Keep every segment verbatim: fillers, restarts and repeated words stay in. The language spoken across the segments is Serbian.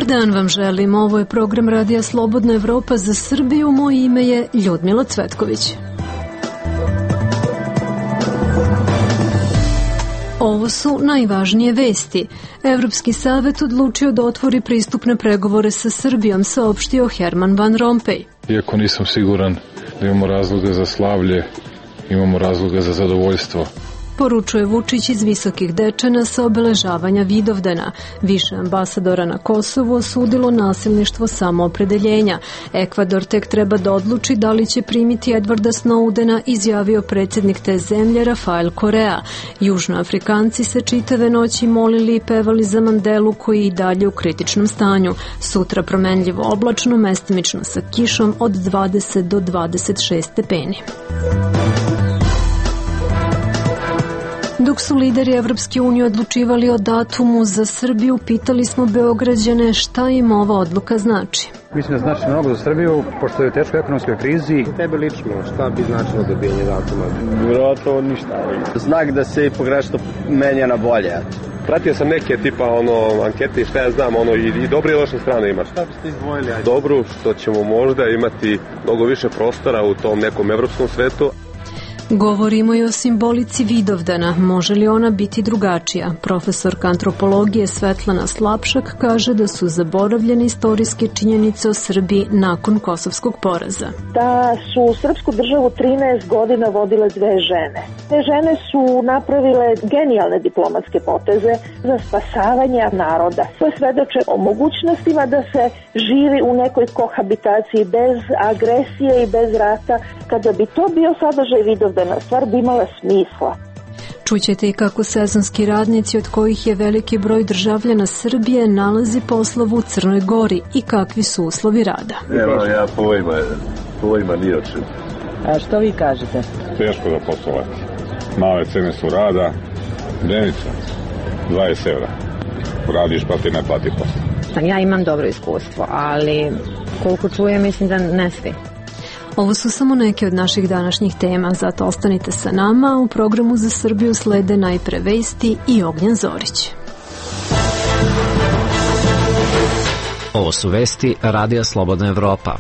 Dobar dan vam želim, ovo je program Radija Slobodna Evropa za Srbiju, moje ime je Ljudmila Cvetković. Ovo su najvažnije vesti. Evropski savet odlučio da otvori pristupne pregovore sa Srbijom, saopštio Herman Van Rompuy. Iako nisam siguran da imamo razloga za slavlje, imamo razloga za zadovoljstvo. Poručuje Vučić iz Visokih Dečana sa obeležavanja Vidovdana. Više ambasadora na Kosovu osudilo nasilništvo samoopredeljenja. Ekvador tek treba da odluči da li će primiti Edwarda Snowdena, izjavio predsjednik te zemlje Rafael Korea. Južnoafrikanci se čitave noći molili i pevali za Mandelu koji je i dalje u kritičnom stanju. Sutra promenljivo oblačno, mestimično sa kišom od dvadeset do dvadeset šest stepeni. Dok su lideri Evropske unije odlučivali o datumu za Srbiju, pitali smo Beograđane šta im ova odluka znači. Mislim da znači mnogo za Srbiju, pošto je u teškoj ekonomskoj krizi. Tebe lično, šta bi značilo dobijanje datuma? Vjerojatno ništa. Znak da se progresno menja na bolje. Pratio sam neke tipa ono ankete i šta ja znam, ono i, i dobre i loše strane ima. Šta biste izdvojili? Ajde. Dobru, što ćemo možda imati mnogo više prostora u tom nekom evropskom svetu. Govorimo i o simbolici Vidovdana. Može li ona biti drugačija? Profesorka antropologije Svetlana Slapšak kaže da su zaboravljene istorijske činjenice o Srbiji nakon kosovskog poraza. Da su srpsku državu trinaest godina vodile dve žene. Te žene su napravile genijalne diplomatske poteze za spasavanje naroda. To svedoče o mogućnostima da se živi u nekoj kohabitaciji bez agresije i bez rata. Kada bi to bio sadržaj Vidovdana, stvar bi imala smisla. Čućete i kako sezonski radnici, od kojih je veliki broj državljana Srbije, nalazi poslov u Crnoj Gori i kakvi su uslovi rada. Evo, ja pojma, pojma nije o čemu. A što vi kažete? Teško da poslovati. Male cene su rada, denica, dvadeset evra. Radiš pa ti ne plati posao. Ja imam dobro iskustvo, ali koliko čujem, mislim da ne svi. Ovo su samo neke od naših današnjih tema, zato ostanite sa nama. U programu za Srbiju slede najpre vesti i Ognjen Zorić. Ovo su vesti Radija Slobodna Evropa.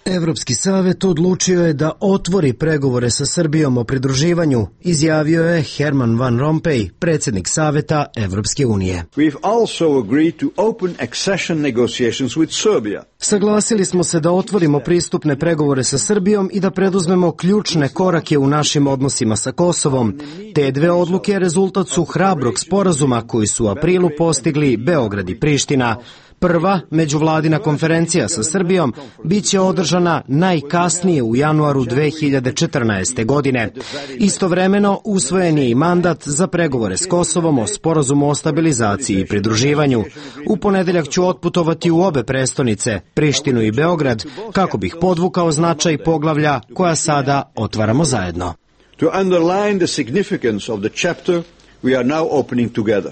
Evropski savet odlučio je da otvori pregovore sa Srbijom o pridruživanju, izjavio je Herman Van Rompuy, predsjednik Saveta Evropske unije. We've also agreed to open accession negotiations with Serbia. Saglasili smo se da otvorimo pristupne pregovore sa Srbijom i da preduzmemo ključne korake u našim odnosima sa Kosovom. Te dve odluke rezultat su hrabrog sporazuma koji su u aprilu postigli Beograd i Priština. Prva međuvladina konferencija sa Srbijom biće održana najkasnije u januaru dve hiljade četrnaeste. godine. Istovremeno usvojen je i mandat za pregovore s Kosovom o sporazumu o stabilizaciji i pridruživanju. U ponedeljak ću otputovati u obe prestonice, Prištinu i Beograd, kako bih podvukao značaj poglavlja koja sada otvaramo zajedno. To underline the significance of the chapter we are now opening together.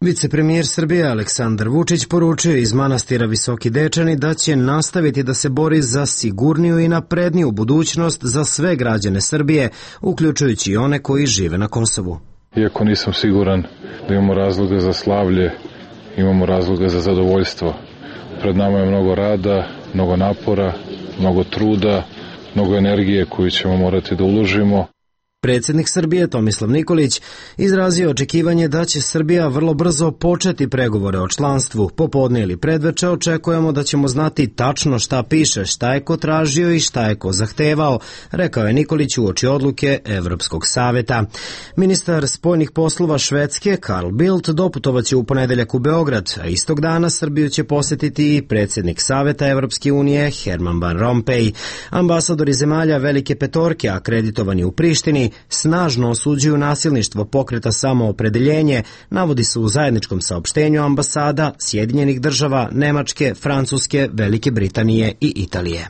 Vicepremijer Srbije Aleksandar Vučić poručio iz manastira Visoki Dečani da će nastaviti da se bori za sigurniju i napredniju budućnost za sve građane Srbije, uključujući i one koji žive na Kosovu. Iako nisam siguran da imamo razloga za slavlje, imamo razloga za zadovoljstvo. Pred nama je mnogo rada, mnogo napora, mnogo truda, mnogo energije koju ćemo morati da uložimo. Predsjednik Srbije Tomislav Nikolić izrazio očekivanje da će Srbija vrlo brzo početi pregovore o članstvu. Popodne ili predveče očekujemo da ćemo znati tačno šta piše, šta je ko tražio i šta je ko zahtevao, rekao je Nikolić uoči odluke Evropskog saveta. Ministar spoljnih poslova Švedske Carl Bildt doputovaće u ponedeljak u Beograd, a istog dana Srbiju će posjetiti i predsjednik Saveta Evropske unije Herman Van Rompuy. Ambasadori zemalja Velike petorke akreditovani u Prištini snažno osuđuju nasilništvo pokreta Samoopredeljenje, navodi se u zajedničkom saopštenju ambasada Sjedinjenih država, Nemačke, Francuske, Velike Britanije i Italije.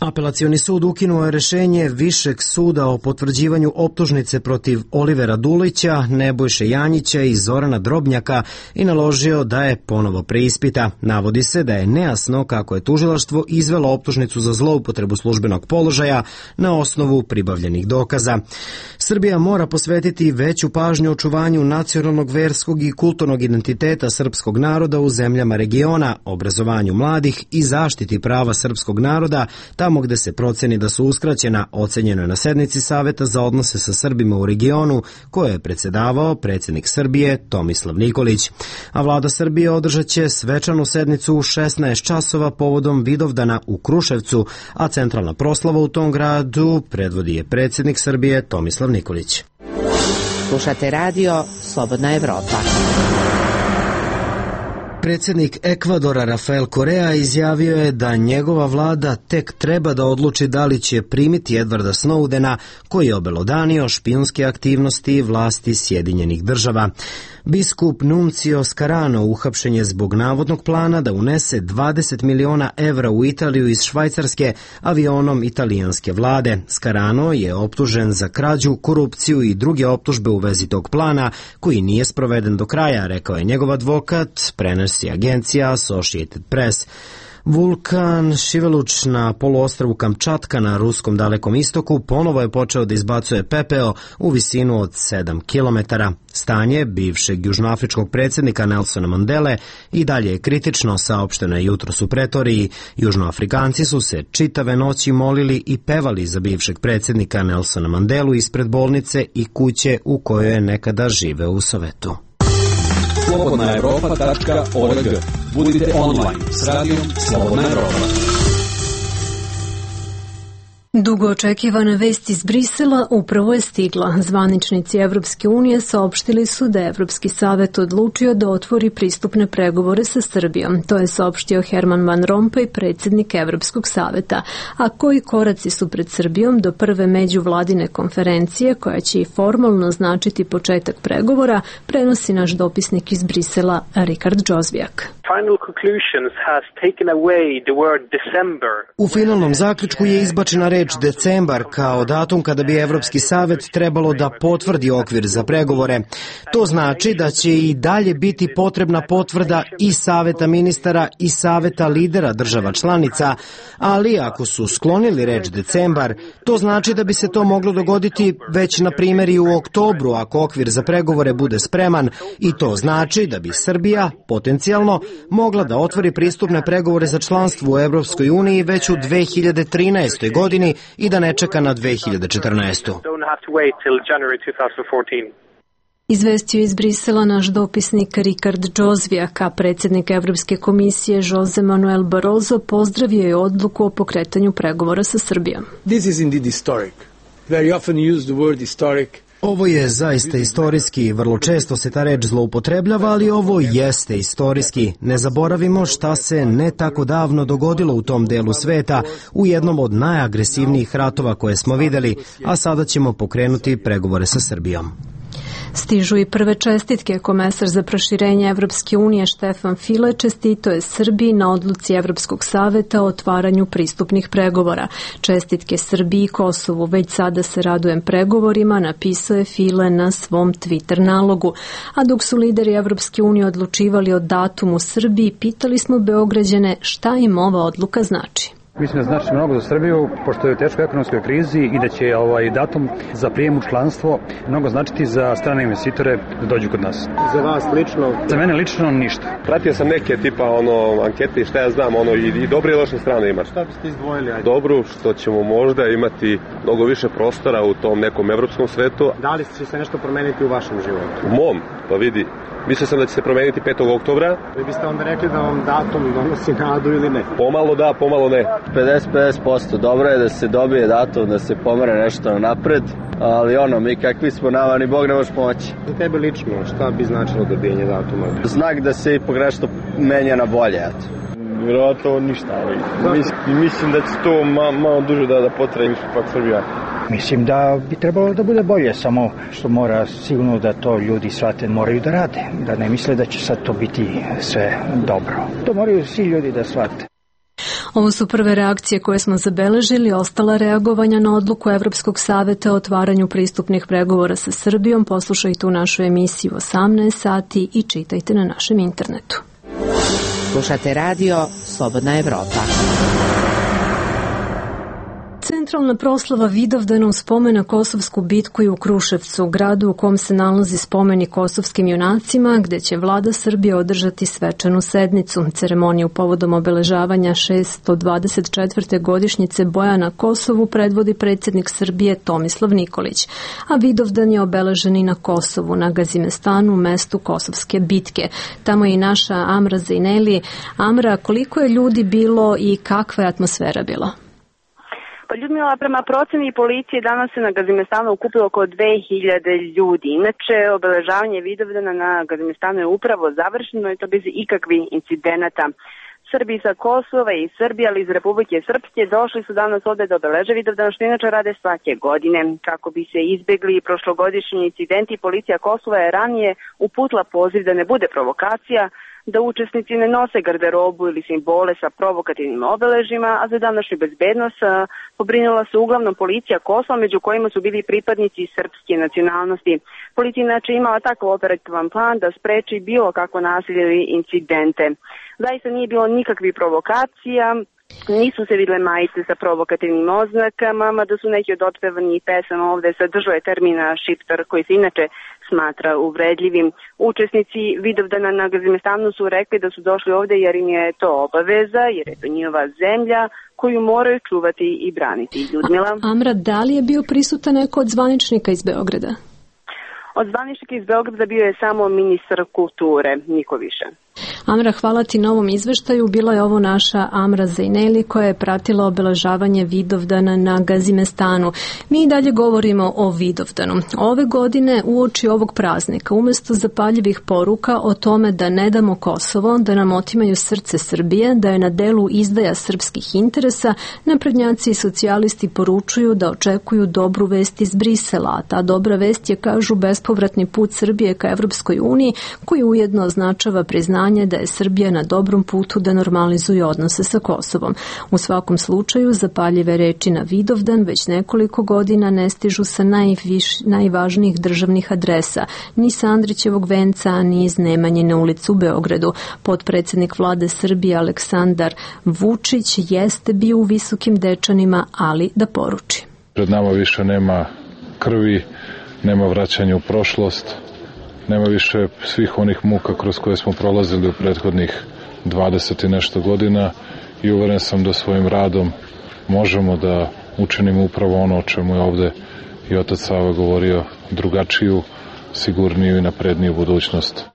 Apelacioni sud ukinuo je rešenje Višeg suda o potvrđivanju optužnice protiv Olivera Dulića, Nebojše Janjića i Zorana Drobnjaka i naložio da je ponovo preispita. Navodi se da je nejasno kako je tužilaštvo izvelo optužnicu za zloupotrebu službenog položaja na osnovu pribavljenih dokaza. Srbija mora posvetiti veću pažnju očuvanju nacionalnog, verskog i kulturnog identiteta srpskog naroda u zemljama regiona, obrazovanju mladih i zaštiti prava srpskog naroda tamo gde se proceni da su uskraćena, ocenjeno je na sednici Saveta za odnose sa Srbima u regionu, koje je predsedavao predsjednik Srbije Tomislav Nikolić. A vlada Srbije održat će svečanu sednicu u šesnaest časova povodom Vidovdana u Kruševcu, a centralna proslava u tom gradu predvodi je predsjednik Srbije Tomislav Nikolić. Slušate radio Slobodna Evropa. Predsjednik Ekvadora Rafael Correa izjavio je da njegova vlada tek treba da odluči da li će primiti Edwarda Snowdena, koji je obelodanio špijunske aktivnosti vlasti Sjedinjenih država. Biskup Nuncio Scarano uhapšen je zbog navodnog plana da unese dvadeset miliona evra u Italiju iz Švajcarske avionom italijanske vlade. Scarano je optužen za krađu, korupciju i druge optužbe u vezi tog plana, koji nije sproveden do kraja, rekao je njegov advokat, prenosi agencija Associated Press. Vulkan Šiveluč na poluostrvu Kamčatka na ruskom dalekom istoku ponovo je počeo da izbacuje pepeo u visinu od sedam kilometara. Stanje bivšeg južnoafričkog predsjednika Nelsona Mandele i dalje je kritično, saopšteno je jutros u Pretoriji. Južnoafrikanci su se čitave noći molili i pevali za bivšeg predsjednika Nelsona Mandelu ispred bolnice i kuće u kojoj je nekada živeo u Sovetu. slobodna evropa tačka org. Budite online s radijom Slobodna Evropa. Dugo očekivana vest iz Brisela upravo je stigla. Zvaničnici Evropske unije saopštili su da je Evropski savet odlučio da otvori pristupne pregovore sa Srbijom. To je saopštio Herman Van Rompuy, predsjednik Evropskog saveta. A koji koraci su pred Srbijom do prve međuvladine konferencije, koja će i formalno značiti početak pregovora, prenosi naš dopisnik iz Brisela, Rikard Džozvijak. U finalnom zaključku je izbačena reč decembar kao datum kada bi Evropski savet trebalo da potvrdi okvir za pregovore. To znači da će i dalje biti potrebna potvrda i Saveta ministara i Saveta lidera država članica, ali ako su sklonili reč decembar, to znači da bi se to moglo dogoditi već na primjer i u oktobru ako okvir za pregovore bude spreman, i to znači da bi Srbija potencijalno mogla da otvori pristupne pregovore za članstvo u Evropskoj uniji već u dve hiljade trinaestoj. godini i da ne čeka na dve hiljade četrnaestu. Izvestio iz Brisela naš dopisnik Rikard Džozvijak, a predsjednik Evropske komisije Jose Manuel Barroso pozdravio je odluku o pokretanju pregovora sa Srbijom. This is indeed historic. Very often use the word historic. Ovo je zaista istorijski i vrlo često se ta reč zloupotrebljava, ali ovo jeste istorijski. Ne zaboravimo šta se ne tako davno dogodilo u tom delu sveta, u jednom od najagresivnijih ratova koje smo videli, a sada ćemo pokrenuti pregovore sa Srbijom. Stižu i prve čestitke. Komesar za proširenje Evropske unije Štefan File čestito je Srbiji na odluci Evropskog saveta o otvaranju pristupnih pregovora. Čestitke Srbiji i Kosovu. Već sada se radujem pregovorima, napisao je File na svom Twitter nalogu. A dok su lideri Evropske unije odlučivali o datumu Srbiji, pitali smo Beograđane šta im ova odluka znači. Mislim da znači mnogo za Srbiju, pošto je u teškoj ekonomskoj krizi i da će ovaj datum za prijem u članstvo mnogo značiti za strane investitore da dođu kod nas. Za vas lično? Za mene lično ništa. Pratio sam neke tipa ono ankete i šta ja znam, ono i, i dobre i loše strane ima. Šta biste izdvojili? Ajde. Dobru, što ćemo možda imati mnogo više prostora u tom nekom evropskom svetu. Da li će se nešto promeniti u vašem životu? U mom, pa vidi. Mislio sam da će se promeniti petog oktobra. Vi biste onda rekli da vam datum donosi nadu ili ne? Pomalo da, pomalo ne. pedeset pedeset posto. Dobro je da se dobije datum, da se pomere nešto napred, ali ono, mi kakvi smo, nama ni Bog ne može pomoći. Za tebe lično, šta bi značilo dobijanje datuma? Znak da se ipak nešto menja na bolje, eto. Vjerojatno ništa, ali mislim, mislim da će to ma, malo duže da, da potraje ipak Srbija. Mislim da bi trebalo da bude bolje, samo što mora sigurno da to ljudi shvate, moraju da rade, da ne misle da će sad to biti sve dobro. To moraju svi ljudi da shvate. Ovo su prve reakcije koje smo zabeležili, ostala reagovanja na odluku Evropskog saveta o otvaranju pristupnih pregovora sa Srbijom. Poslušajte u našu emisiju osamnaest sati i čitajte na našem internetu. Slušate radio Slobodna Evropa. Centralna proslava Vidovdana u spomen na Kosovsku bitku je u Kruševcu, gradu u kom se nalazi spomenik kosovskim junacima, gde će vlada Srbije održati svečanu sednicu. Ceremoniju povodom obeležavanja šesto dvadeset četvrte godišnjice boja na Kosovu predvodi predsjednik Srbije Tomislav Nikolić, a Vidovdan je obeležen i na Kosovu, na Gazimestanu, mestu Kosovske bitke. Tamo je i naša Amra Zejneli. Amra, koliko je ljudi bilo i kakva je atmosfera bila? Pa Ljudmila, prema proceni policije danas se na Gazimestanu okupilo oko dve hiljade ljudi. Inače, obeležavanje Vidovdana na Gazimestanu je upravo završeno i to bez ikakvih incidenata. Srbi sa Kosova i Srbije, ali iz Republike Srpske, došli su danas ovde da obeleže Vidovdan, što inače rade svake godine. Kako bi se izbegli prošlogodišnji incidenti, policija Kosova je ranije uputila poziv da ne bude provokacija, da učesnici ne nose garderobu ili simbole sa provokativnim obeležima, a za današnju bezbednost pobrinula se uglavnom policija Kosova, među kojima su bili pripadnici srpske nacionalnosti. Policija inače imala takav operativan plan da spreči bilo kakvo nasilje ili incidente. Zaista nije bilo nikakvih provokacija, nisu se videle majice sa provokativnim oznakama, mada su neki od otpevanih pesama ovde sadržuje termina šiptar koji se inače smatra uvredljivim. Učesnici Vidovdana na Gazimestanu su rekli da su došli ovde jer im je to obaveza, jer je to njihova zemlja koju moraju čuvati i braniti. Ljudmila. Amra, da li je bio prisutan neko od zvaničnika iz Beograda? Od zvaničnika iz Beograda bio je samo ministar kulture, niko više. Amra, hvala ti na ovom izveštaju. Bila je ovo naša Amra Zejneli koja je pratila obeležavanje Vidovdana na Gazimestanu. Mi i dalje govorimo o Vidovdanu. Ove godine uoči ovog praznika, umesto zapaljivih poruka o tome da ne damo Kosovo, da nam otimaju srce Srbije, da je na delu izdaja srpskih interesa, naprednjaci i socijalisti poručuju da očekuju dobru vest iz Brisela, a ta dobra vest je, kažu, bespovratni put Srbije ka Evropskoj uniji, koji ujedno označava priznanje da je Srbija na dobrom putu da normalizuje odnose sa Kosovom. U svakom slučaju, zapaljive reči na Vidovdan već nekoliko godina ne stižu sa najviš, najvažnijih državnih adresa, ni sa Andrićevog venca, ni iz Nemanjine ulice u Beogradu. Potpredsednik vlade Srbije Aleksandar Vučić jeste bio u Visokim Dečanima, ali da poruči. Pred nama više nema krvi, nema vraćanja u prošlost, nema više svih onih muka kroz koje smo prolazili u prethodnih dvadeset i nešto godina i uveren sam da svojim radom možemo da učinimo upravo ono o čemu je ovde i otac Sava govorio, drugačiju, sigurniju i napredniju budućnost.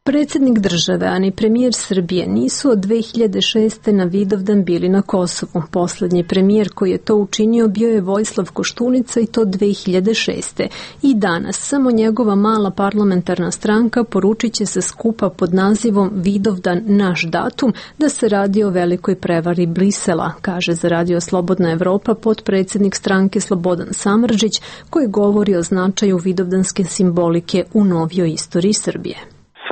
Predsjednik države, a ni premijer Srbije nisu od dve hiljade šeste. na Vidovdan bili na Kosovu. Poslednji premijer koji je to učinio bio je Vojislav Koštunica i to dve hiljade šeste. I danas samo njegova mala parlamentarna stranka poručit će se skupa pod nazivom Vidovdan naš datum da se radi o velikoj prevari Brisela, kaže za Radio Slobodna Evropa potpredsjednik stranke Slobodan Samardžić koji govori o značaju vidovdanske simbolike u novijoj istoriji Srbije.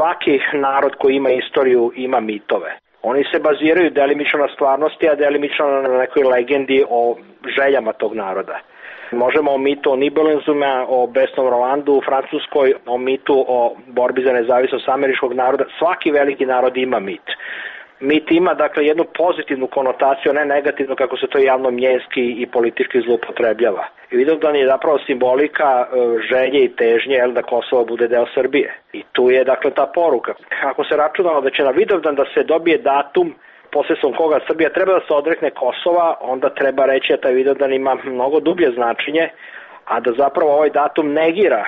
Svaki narod koji ima istoriju ima mitove. Oni se baziraju delimično na stvarnosti, a delimično na nekoj legendi o željama tog naroda. Možemo o mitu o Nibelungima, o besnom Rolandu u Francuskoj, o mitu o borbi za nezavisnost američkog naroda. Svaki veliki narod ima mit. Mit ima, dakle, jednu pozitivnu konotaciju, ne negativnu kako se to javno mjenski i politički zloupotrebljava. I Vidovdan je zapravo simbolika želje i težnje jel, da Kosovo bude deo Srbije. I tu je, dakle, ta poruka. Ako se računalo da će na Vidovdan da se dobije datum posredstvom koga Srbija treba da se odrekne Kosova, onda treba reći da taj Vidovdan ima mnogo dublje značenje, a da zapravo ovaj datum negira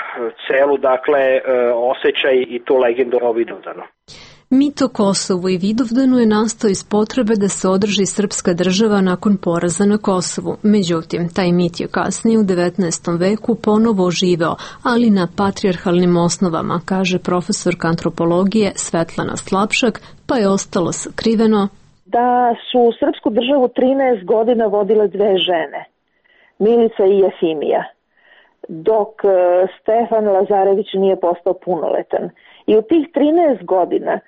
celu, dakle, osjećaj i tu legendu o Vidovdanu. Mit o Kosovu i Vidovdanu je nastao iz potrebe da se održi srpska država nakon poraza na Kosovu. Međutim, taj mit je kasnije u devetnaestom veku ponovo oživeo, ali na patrijarhalnim osnovama, kaže profesorka antropologije Svetlana Slapšak, pa je ostalo sakriveno da su srpsku državu trinaest godina vodile dve žene, Milica i Jefimija, dok Stefan Lazarević nije postao punoletan. I u tih trinaest godina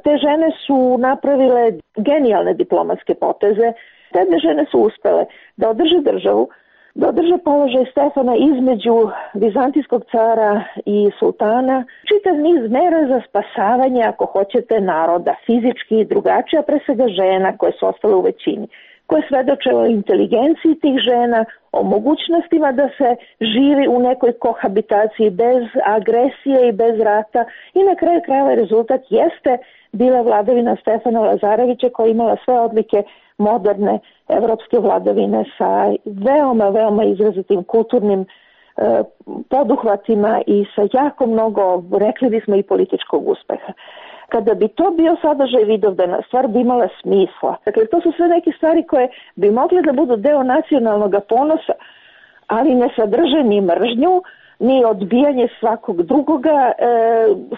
Te žene su napravile genijalne diplomatske poteze. Te dve žene su uspele da održe državu, da održe položaj Stefana između vizantijskog cara i sultana, čitav niz mera za spasavanje, ako hoćete, naroda, fizički i drugačije, a pre svega žena koje su ostale u većini, koje svedoče o inteligenciji tih žena, o mogućnostima da se živi u nekoj kohabitaciji bez agresije i bez rata i na kraju krajeva rezultat jeste bila vladavina Stefana Lazarevića koja je imala sve odlike moderne evropske vladavine sa veoma, veoma izrazitim kulturnim e, poduhvatima i sa jako mnogo, rekli bismo, i političkog uspeha. Kada bi to bio sadržaj Vidovdana, stvar bi imala smisla. Dakle, to su sve neke stvari koje bi mogle da budu deo nacionalnog ponosa, ali ne sadrže ni mržnju, ni odbijanje svakog drugoga, e,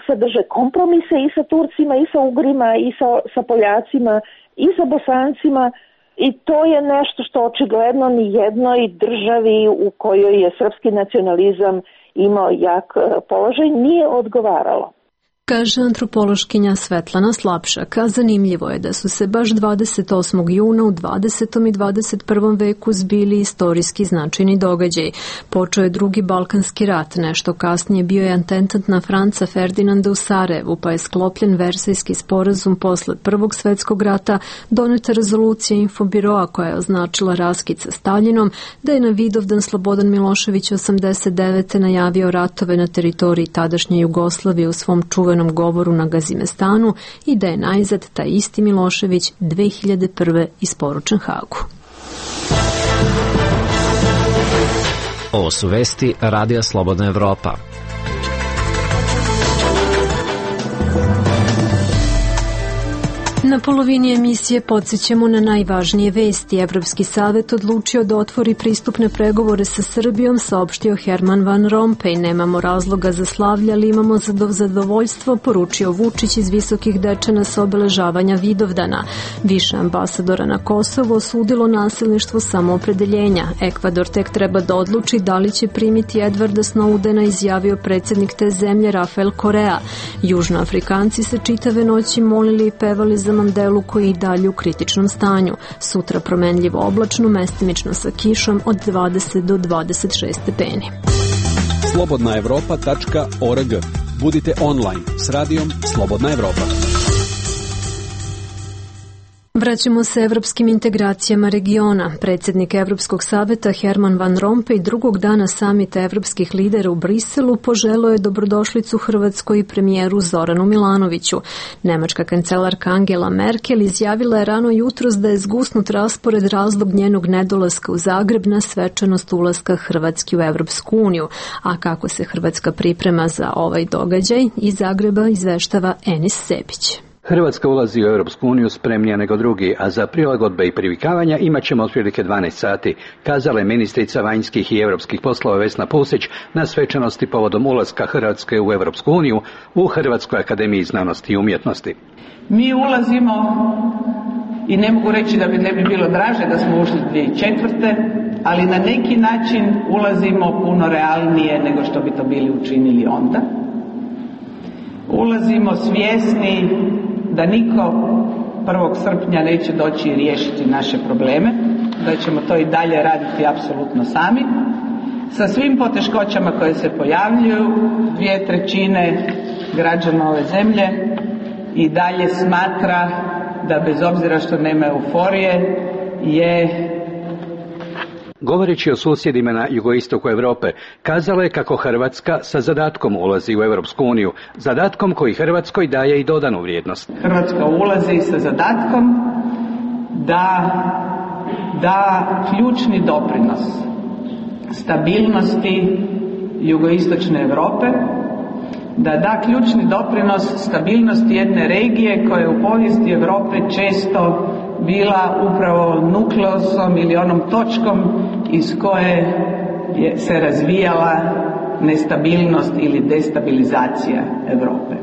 sadrže kompromise i sa Turcima, i sa Ugrima, i sa, sa Poljacima, i sa Bosancima, i to je nešto što očigledno ni jednoj državi u kojoj je srpski nacionalizam imao jak položaj nije odgovaralo. Kaže antropološkinja Svetlana Slapšak, a zanimljivo je da su se baš dvadeset osmog juna u dvadesetom i dvadeset prvom veku zbili istorijski značajni događaj. Počeo je drugi Balkanski rat, nešto kasnije bio je atentat na Franca Ferdinanda u Sarajevu, pa je sklopljen Versajski sporazum posle Prvog svetskog rata, doneta rezolucija Infobiroa koja je označila raskid sa Staljinom, da je na Vidovdan Slobodan Milošević osamdeset devete najavio ratove na teritoriji tadašnje Jugoslavije u svom čuvenom govoru na Gazimestanu i da je najzad taj isti Milošević dve hiljade prve isporučen Hagu. Ovo su vesti Radija Slobodna Evropa. Na polovini emisije podsjećamo na najvažnije vesti. Evropski savet odlučio da otvori pristupne pregovore sa Srbijom, saopštio Herman Van Rompuy. Nemamo razloga za slavlje, ali imamo zadovoljstvo, poručio Vučić iz Visokih Dečana sa obeležavanja Vidovdana. Više ambasadora na Kosovu osudilo nasilništvo samoopredeljenja. Ekvador tek treba da odluči da li će primiti Edvarda Snowdena, izjavio predsjednik te zemlje Rafael Korea. Južnoafrikanci se čitave noći molili i pevali za Mandelu koji je i dalje u kritičnom stanju. Sutra promenljivo oblačno, mestimično sa kišom od dvadeset do dvadeset šest stepeni. slobodna evropa tačka org. Budite online s radijom Slobodna Evropa. Vraćamo se evropskim integracijama regiona. Predsjednik Evropskog saveta Herman Van Rompuy drugog dana samita evropskih lidera u Briselu poželeo je dobrodošlicu Hrvatskoj i premijeru Zoranu Milanoviću. Nemačka kancelarka Angela Merkel izjavila je rano jutros da je zgusnut raspored razlog njenog nedolaska u Zagreb na svečanost ulaska Hrvatske u Evropsku uniju. A kako se Hrvatska priprema za ovaj događaj, iz Zagreba izveštava Enis Sebić. Hrvatska ulazi u Europsku uniju spremnija nego drugi, a za prilagodbe i privikavanja imat ćemo otprilike dvanaest sati, kazala je ministrica vanjskih i europskih poslova Vesna Pusić na svečanosti povodom ulaska Hrvatske u Europsku uniju u Hrvatskoj akademiji znanosti i umjetnosti. Mi ulazimo, i ne mogu reći da bi ne bi bilo draže da smo ušli dvije tisuće četvrte. ali na neki način ulazimo puno realnije nego što bi to bili učinili onda. Ulazimo svjesni da niko prvog srpnja neće doći i riješiti naše probleme, da ćemo to i dalje raditi apsolutno sami, sa svim poteškoćama koje se pojavljuju. Dvije trećine građana ove zemlje i dalje smatra da bez obzira što nema euforije je... Govoreći o susjedima na jugoistoku Europe, kazala je kako Hrvatska sa zadatkom ulazi u Europsku uniju, zadatkom koji Hrvatskoj daje i dodanu vrijednost. Hrvatska ulazi sa zadatkom da da ključni doprinos stabilnosti jugoistočne Europe, da da ključni doprinos stabilnosti jedne regije koja je u povijesti Europe često bila upravo nukleosom ili onom točkom iz koje je se razvijala nestabilnost ili destabilizacija Europe.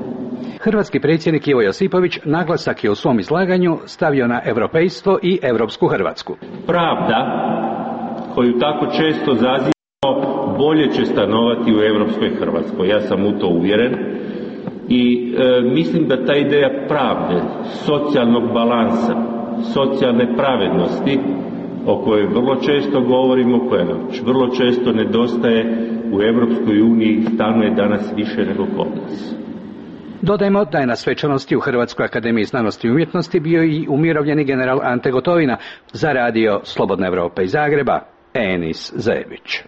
Hrvatski predsjednik Ivo Josipović naglasak je u svom izlaganju stavio na europejstvo i europsku Hrvatsku. Pravda koju tako često zazivamo bolje će stanovati u europskoj Hrvatskoj. Ja sam u to uvjeren I e, mislim da ta ideja pravde, socijalnog balansa, socijalne pravednosti, o kojoj vrlo često govorimo, koja nam vrlo često nedostaje u Evropskoj uniji, stalno je danas više nego kod nas. Dodajmo da je na svečanosti u Hrvatskoj akademiji znanosti i umjetnosti bio i umirovljeni general Ante Gotovina za radio Slobodna Evropa iz Zagreba, Enis Zajević.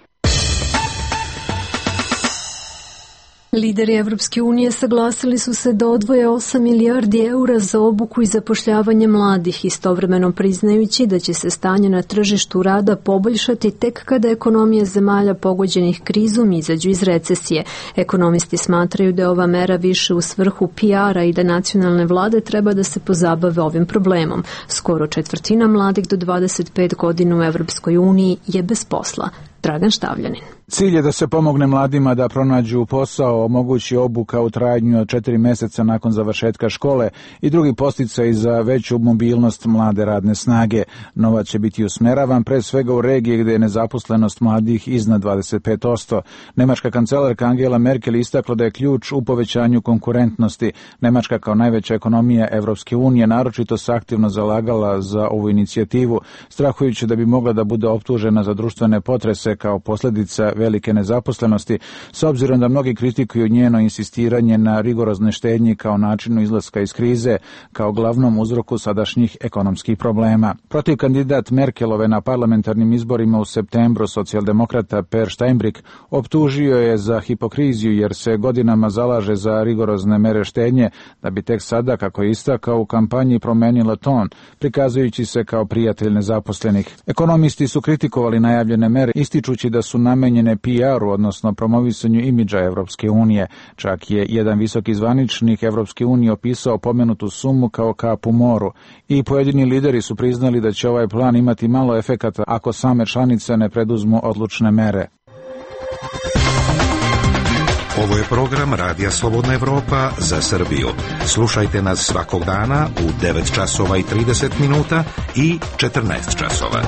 Lideri Evropske unije saglasili su se da odvoje osam milijardi eura za obuku i zapošljavanje mladih, istovremeno priznajući da će se stanje na tržištu rada poboljšati tek kada ekonomije zemalja pogođenih krizom izađu iz recesije. Ekonomisti smatraju da je ova mera više u svrhu P R-a i da nacionalne vlade treba da se pozabave ovim problemom. Skoro četvrtina mladih do dvadeset pet godina u Evropskoj uniji je bez posla. Dragan Štavljanin. Cilj je da se pomogne mladima da pronađu posao, omogući obuka u trajanju od četiri meseca nakon završetka škole i drugi podsticaj za veću mobilnost mlade radne snage. Novac će biti usmeravan pre svega u regije gde je nezaposlenost mladih iznad dvadeset pet posto. Nemačka kancelarka Angela Merkel istakla da je ključ u povećanju konkurentnosti. Nemačka kao najveća ekonomija Evropske unije naročito se aktivno zalagala za ovu inicijativu, strahujući da bi mogla da bude optužena za društvene potrese kao posljedica velike nezaposlenosti, s obzirom da mnogi kritikuju njeno insistiranje na rigorozne štednji kao načinu izlaska iz krize, kao glavnom uzroku sadašnjih ekonomskih problema. Protiv kandidat Merkelove na parlamentarnim izborima u septembru, socijaldemokrata Per Steinbrück, optužio je za hipokriziju jer se godinama zalaže za rigorozne mere štednje, da bi tek sada, kako je istakao, u kampanji promenila ton, prikazujući se kao prijatelj nezaposlenih. Ekonomisti su kritikovali najavljene mere, ističući da su namenjene P R-u, odnosno promovisanju imidža Evropske unije. Čak je jedan visoki zvaničnik Evropske unije opisao pomenutu sumu kao kap u moru. I pojedini lideri su priznali da će ovaj plan imati malo efekata ako same članice ne preduzmu odlučne mere. Ovo je program Radija Slobodna Evropa za Srbiju. Slušajte nas svakog dana u devet časova i trideset minuta i četrnaest časova.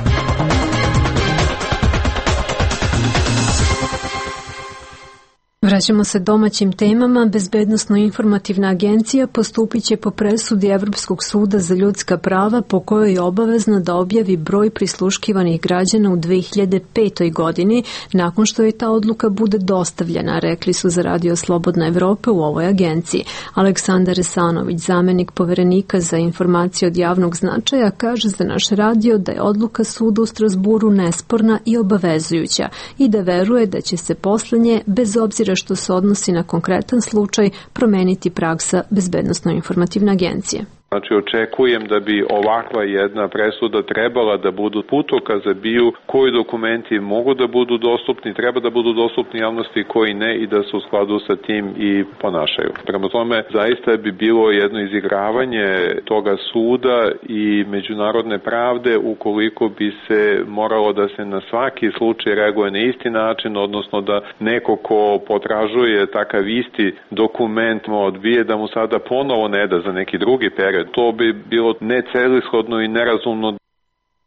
Vraćamo se domaćim temama. Bezbednosno-informativna agencija postupit će po presudi Evropskog suda za ljudska prava po kojoj je obavezna da objavi broj prisluškivanih građana u dve hiljade petoj godini nakon što je ta odluka bude dostavljena, rekli su za Radio Slobodna Evropa u ovoj agenciji. Aleksandar Esanović, zamenik poverenika za informacije od javnog značaja, kaže za naš radio da je odluka suda u Strasburu nesporna i obavezujuća i da veruje da će se posle nje, bez obzira što se odnosi na konkretan slučaj, promeniti praksa Bezbednosno-informativne agencije. Znači, očekujem da bi ovakva jedna presuda trebala da budu putokaz za biju koji dokumenti mogu da budu dostupni, treba da budu dostupni javnosti, koji ne, i da se u skladu sa tim i ponašaju. Prema tome, zaista bi bilo jedno izigravanje toga suda i međunarodne pravde ukoliko bi se moralo da se na svaki slučaj reaguje na isti način, odnosno da neko ko potražuje takav isti dokument mu odbije, da mu sada ponovo ne da za neki drugi period. To bi bilo necelishodno i nerazumno.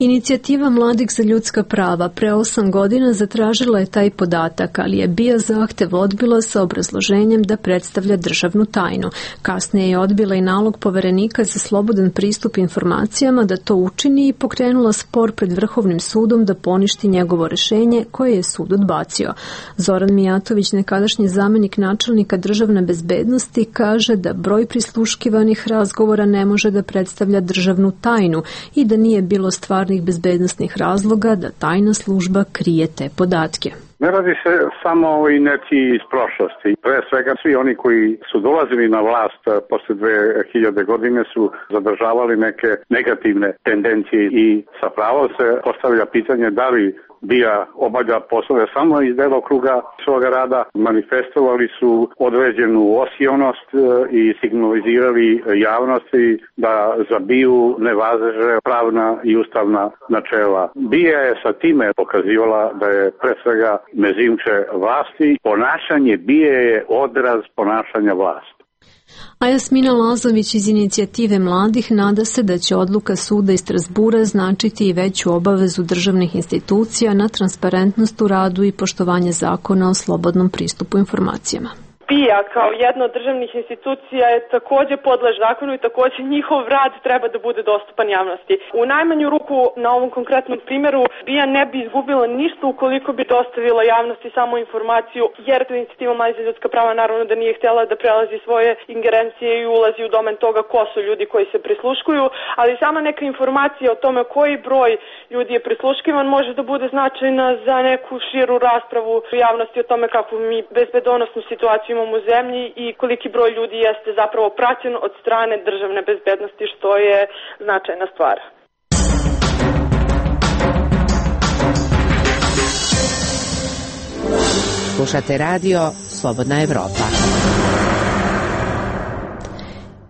Inicijativa Mladih za ljudska prava pre osam godina zatražila je taj podatak, ali je B I A zahtev odbila sa obrazloženjem da predstavlja državnu tajnu. Kasnije je odbila i nalog poverenika za slobodan pristup informacijama da to učini i pokrenula spor pred Vrhovnim sudom da poništi njegovo rešenje koje je sud odbacio. Zoran Mijatović, nekadašnji zamenik načelnika državne bezbednosti, kaže da broj prisluškivanih razgovora ne može da predstavlja državnu tajnu i da nije bilo stvar bezbednostnih razloga da tajna služba krije te podatke. Ne radi se samo o inerciji iz prošlosti. Pre svega svi oni koji su dolazili na vlast posle dve hiljade godine su zadržavali neke negativne tendencije i sa pravom se postavlja pitanje da li B I A obavlja poslove samo iz delokruga svoga rada. Manifestovali su određenu osionost i signalizirali javnosti da za B I A ne važe pravna i ustavna načela. B I A je sa time pokazivala da je pre svega mezimče vlasti. Ponašanje B I A je odraz ponašanja vlasti. A Jasmina Lazović iz inicijative mladih nada se da će odluka suda iz Strasbura značiti i veću obavezu državnih institucija na transparentnost u radu i poštovanje zakona o slobodnom pristupu informacijama. B I Srbija kao jedna od državnih institucija je takođe podlež zakonu i takođe njihov rad treba da bude dostupan javnosti. U najmanju ruku na ovom konkretnom primjeru B I A ne bi izgubila ništa ukoliko bi dostavila javnosti samo informaciju, jer inicijativa Mladi za ljudska prava naravno da nije htjela da prelazi svoje ingerencije i ulazi u domen toga ko su ljudi koji se prisluškuju, ali sama neka informacija o tome koji broj ljudi je prisluškivan može da bude značajna za neku širu raspravu u javnosti o tome kako mi bezbedonosnu situaciju imamo u zemlji i koliki broj ljudi jeste zapravo praćen od strane državne bezbednosti, što je značajna stvar. Slušate radio Slobodna Evropa.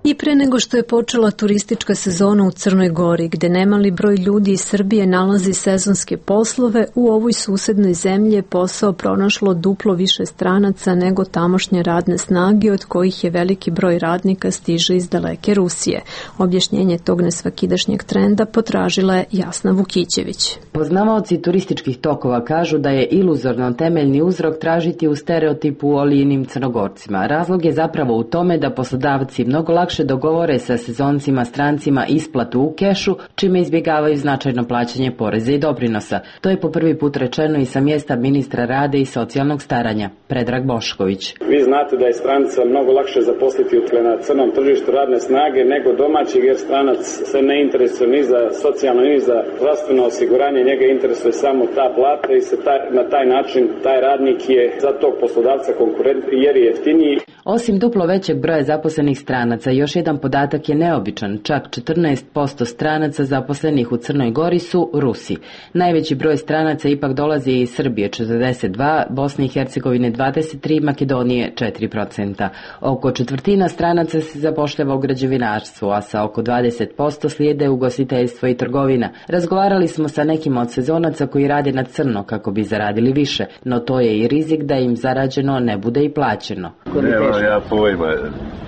I pre nego što je počela turistička sezona u Crnoj Gori, gde nemali broj ljudi iz Srbije nalazi sezonske poslove, u ovoj susednoj zemlji je posao pronašlo duplo više stranaca nego tamošnje radne snage, od kojih je veliki broj radnika stiže iz daleke Rusije. Objašnjenje tog nesvakidašnjeg trenda potražila je Jasna Vukićević. Poznavaoci turističkih tokova kažu da je iluzorno temeljni uzrok tražiti u stereotipu o lijenim Crnogorcima. Razlog je zapravo u tome da poslodavci mnogo lakše dogovore sa sezoncima strancima isplatu u kešu, čime izbjegavaju značajno plaćanje poreza i doprinosa. To je po prvi put rečeno i sa mjesta ministra rade i socijalnog staranja, Predrag Bošković. Vi znate da je stranca mnogo lakše zaposliti na crnom tržištu radne snage nego domaćeg, jer stranac se ne interesuje ni za socijalno ni za zdravstveno osiguranje, njega interesuje samo ta plata i se taj, na taj način taj radnik je za tog poslodavca konkurent jer je jeftiniji. Osim duplo većeg broja zaposlenih stranaca, još jedan podatak je neobičan. Čak četrnaest posto stranaca zaposlenih u Crnoj Gori su Rusi. Najveći broj stranaca ipak dolazi iz Srbije četrdeset dva, Bosne i Hercegovine dvadeset tri, Makedonije četiri procenta. Oko četvrtina stranaca se zapošljava u građevinarstvu, a sa oko dvadeset posto slijede ugostiteljstvo i trgovina. Razgovarali smo sa nekim od sezonaca koji rade na crno kako bi zaradili više, no to je i rizik da im zarađeno ne bude i plaćeno. Nema ja pojma,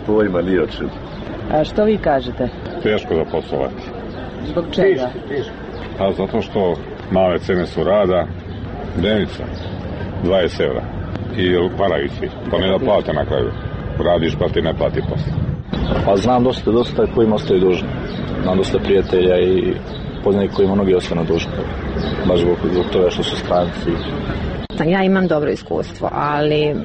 pojma ni o čemu. A što vi kažete? Teško da poslovati. Zbog čega? A zato što male cene su rada, dnevnica, dvadeset evra i paravici, pa ne da plate na kraju. Radiš pa ti ne plati posle. Pa znam dosta, dosta kojima ostaju dužni. Znam dosta prijatelja i poznanih kojima mnogi ostanu dužni. Baš zbog, zbog toga što su stranci. Ja imam dobro iskustvo, ali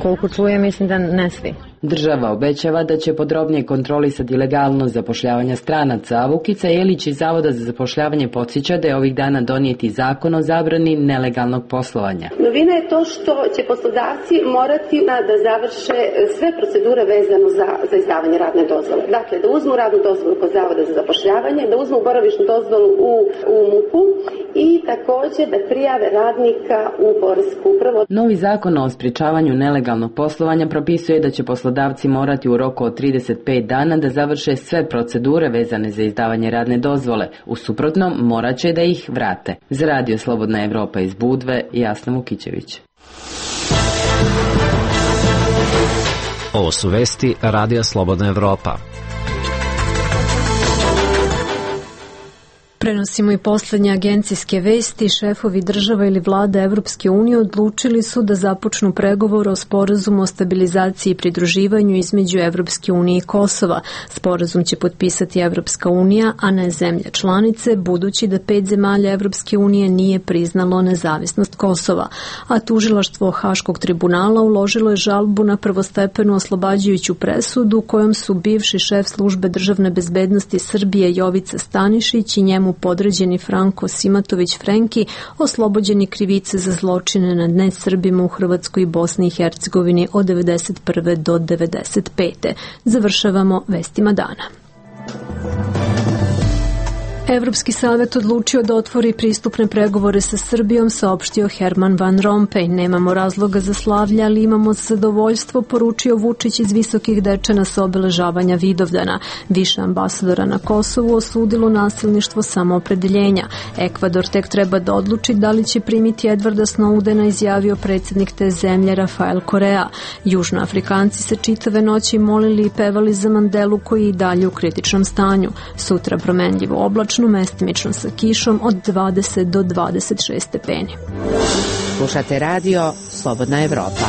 koliko čujem mislim da ne svi. Država obećava da će podrobnije kontrolisati legalnost zapošljavanja stranaca, a Vukica Jelić iz Zavoda za zapošljavanje podsjeća da je ovih dana donijeti zakon o zabrani nelegalnog poslovanja. Novina je to što će poslodavci morati da završe sve procedure vezano za, za izdavanje radne dozvole. Dakle, da uzmu radnu dozvolu kod Zavoda za zapošljavanje, da uzmu boravišnu dozvolu u, u MUP-u i također da prijave radnika u poresku upravu. Novi zakon o sprječavanju nelegalnog poslovanja propisuje da će poslodavci morati u roku od trideset pet dana da završe sve procedure vezane za izdavanje radne dozvole. U suprotnom, morat će da ih vrate. Za Radio Slobodna Evropa iz Budve, Jasna Vukićević. Ovo su vesti Radija Slobodna Evropa. Prenosimo i poslednje agencijske vesti. Šefovi država ili vlada Evropske unije odlučili su da započnu pregovor o sporazumu o stabilizaciji i pridruživanju između Evropske unije i Kosova. Sporazum će potpisati Evropska unija, a ne zemlje članice, budući da pet zemalja Evropske unije nije priznalo nezavisnost Kosova. A tužilaštvo Haškog tribunala uložilo je žalbu na prvostepenu oslobađajuću presudu kojom su bivši šef službe državne bezbednosti Srbije Jovica Stanišić i njemu podređeni Franko Simatović Frenki oslobođeni krivice za zločine nad nesrbima u Hrvatskoj i Bosni i Hercegovini od devedeset prve do devedeset pete Završavamo vestima dana. Evropski savet odlučio da otvori pristupne pregovore sa Srbijom, saopštio Herman Van Rompuy. Nemamo razloga za slavlje, ali imamo zadovoljstvo, poručio Vučić iz Visokih Dečana sa obeležavanja Vidovdana. Više ambasadora na Kosovu osudilo nasilništvo samoopredeljenja. Ekvador tek treba da odluči da li će primiti Edvarda Snowdena, izjavio predsjednik te zemlje Rafael Korea. Južnoafrikanci se čitave noći molili i pevali za Mandelu koji je i dalje u kritičnom stanju. Sutra promenljivo oblačno, mestimično sa kišom od dvadeset do dvadeset šest stepeni. Slušate radio Slobodna Evropa.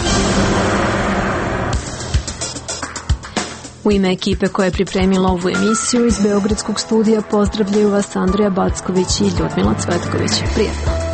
U ime ekipe koja je pripremila ovu emisiju iz Beogradskog studija pozdravljaju vas Andrija Backović i Ljudmila Cvetković. Prijetno!